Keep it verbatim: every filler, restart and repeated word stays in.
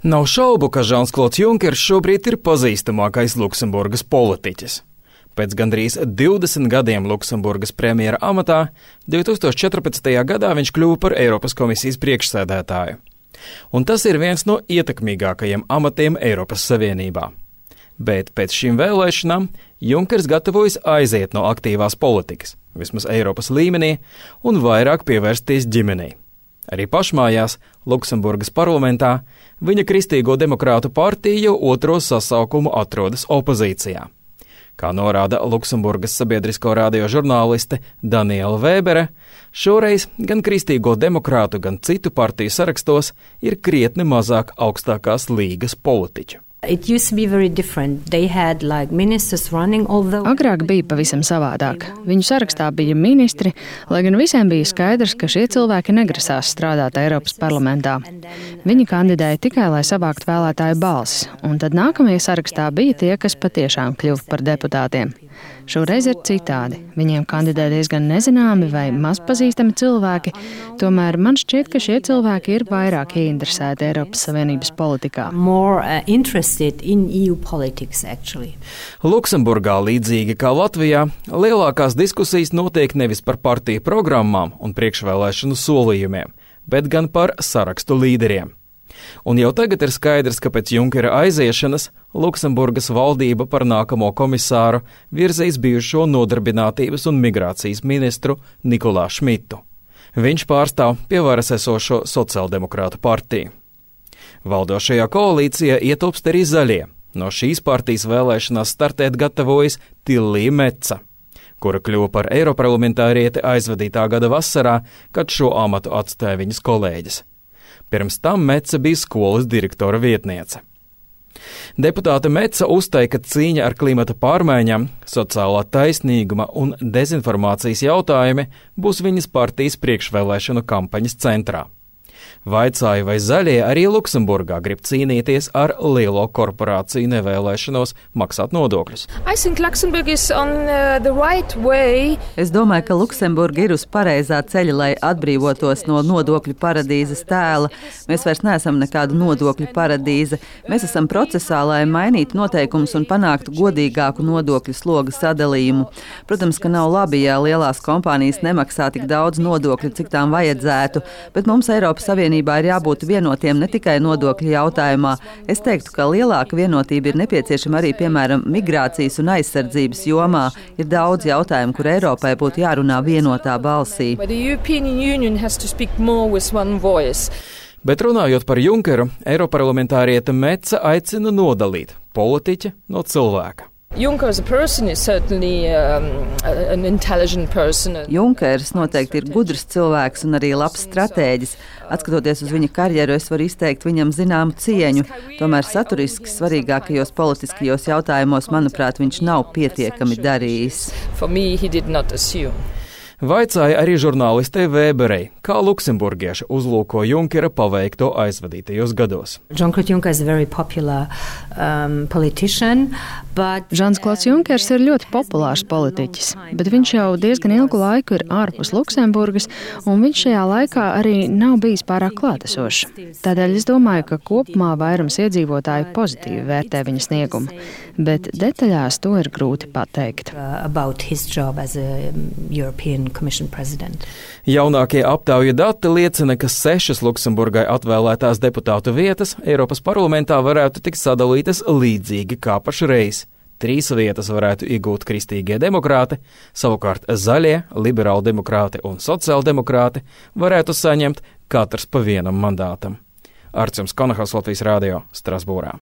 Nav šaubu, ka Žans-Klods Junkers šobrīd ir pazīstamākais Luksemburgas politiķis. Pēc gandrīz divdesmit gadiem Luksemburgas premjera amatā divi tūkstoši četrpadsmitajā gadā viņš kļuva par Eiropas komisijas priekšsēdētāju. Un tas ir viens no ietekmīgākajiem amatiem Eiropas Savienībā. Bet pēc šīm vēlēšanām Junkers gatavojas aiziet no aktīvās politikas, vismaz Eiropas līmenī, un vairāk pievērsties ģimenei. Arī pašmājās, Luksemburgas parlamentā, viņa Kristīgo demokrātu partija jau otro sasaukumu atrodas opozīcijā. Kā norāda Luksemburgas sabiedrisko radio žurnāliste Daniela Vēbere, šoreiz gan Kristīgo demokrātu, gan citu partiju sarakstos ir krietni mazāk augstākās līgas politiķu. It used to be very different. They had like ministers running, although... Agrāk bija pavisam savādāk. Viņu sarakstā bija ministri, lai gan visiem bija skaidrs, ka šie cilvēki negrasās strādāt Eiropas parlamentā. Viņi kandidēja tikai, lai savāktu vēlētāju balsis, un tad nākamie sarakstā bija tie, kas patiešām kļuva par deputātiem. Šoreiz ir citādi. Viņiem kandidē diezgan nezināmi vai mazpazīstami cilvēki, tomēr man šķiet, ka šie cilvēki ir vairāk ieinteresēti Eiropas Savienības politikā. More uh, interested in E U politics, actually. Luksemburgā, līdzīgi kā Latvijā, lielākās diskusijas notiek nevis par partiju programmām un priekšvēlēšanu solījumiem, bet gan par sarakstu līderiem. Un jau tagad ir skaidrs, ka pēc Junkera aiziešanas Luksemburgas valdība par nākamo komisāru virzīs bijušo nodarbinātības un migrācijas ministru Nikolā Šmitu. Viņš pārstāv pie varas esošo sociāldemokrātu partiju. Valdošajā koalīcijā ietilpst arī zaļie. No šīs partijas vēlēšanās startēt gatavojas Tillija Metsa, kura kļuva par eiroparlamentārieti aizvadītā gada vasarā, kad šo amatu atstāja viņas kolēģis. Pirms tam Metsa bija skolas direktora vietniece. Deputāte Metsa uzstāja, ka cīņa ar klimata pārmaiņām, sociālā taisnīguma un dezinformācijas jautājumi būs viņas partijas priekšvēlēšanu kampaņas centrā. Vaicāja, vai zaļie arī Luksemburgā grib cīnīties ar lielo korporāciju nevēlēšanos maksāt nodokļus. Right es domāju, ka Luksemburga ir uz pareizā ceļa, lai atbrīvotos no nodokļu paradīzes tēla. Mēs vairs neesam nekāda nodokļu paradīze. Mēs esam procesā, lai mainītu noteikumus un panāktu godīgāku nodokļu sloga sadalījumu. Protams, ka nav labi, ja lielās kompānijas nemaksā tik daudz nodokļu, cik tām vajadzētu, bet mums Eiropas Savienībā ir jābūt vienotiem ne tikai nodokļu jautājumā. Es teiktu, ka lielāka vienotība ir nepieciešama arī, piemēram, migrācijas un aizsardzības jomā. Ir daudz jautājumu, kur Eiropai būtu jārunā vienotā balsī. Bet runājot par Junkeru, eiroparlamentāriete Metsa aicina nodalīt politiķi no cilvēka. Junkers noteikti ir gudrs cilvēks un arī labs stratēģis. Atskatoties uz viņa karjeru, es varu izteikt viņam zināmu cieņu. Tomēr saturiski svarīgākajos politiskajos jautājumos, manuprāt, viņš nav pietiekami darījis. Vaicāja arī žurnālistei Vēberei, kā luksemburgieši uzlūko Junkera paveikto aizvadītajos gados. Jean-Claude Juncker ir very popular um, politician, but Žans-Klods Junkers ir ļoti populārs politiķis, bet viņš jau diezgan ilgu laiku ir ārpus Luksemburgas, un viņš šajā laikā arī nav bijis pārāk klātesošs. Tādēļ es domāju, ka kopumā vairums iedzīvotāju pozitīvi vērtē viņa sniegumu, bet detaļās to ir grūti pateikt. About his job as a European Commission President. Jaunākie aptauju dati liecina, ka sešas Luksemburgai atvēlētās deputātu vietas Eiropas parlamentā varētu tikt sadalītas līdzīgi kā pašreiz. Trīs vietas varētu iegūt kristīgie demokrāti, savukārt zaļie, liberāli demokrāti un sociāldemokrāti varētu saņemt katrs pa vienam mandātam. Arcjums Konahals, Latvijas radio, Strasbūrā.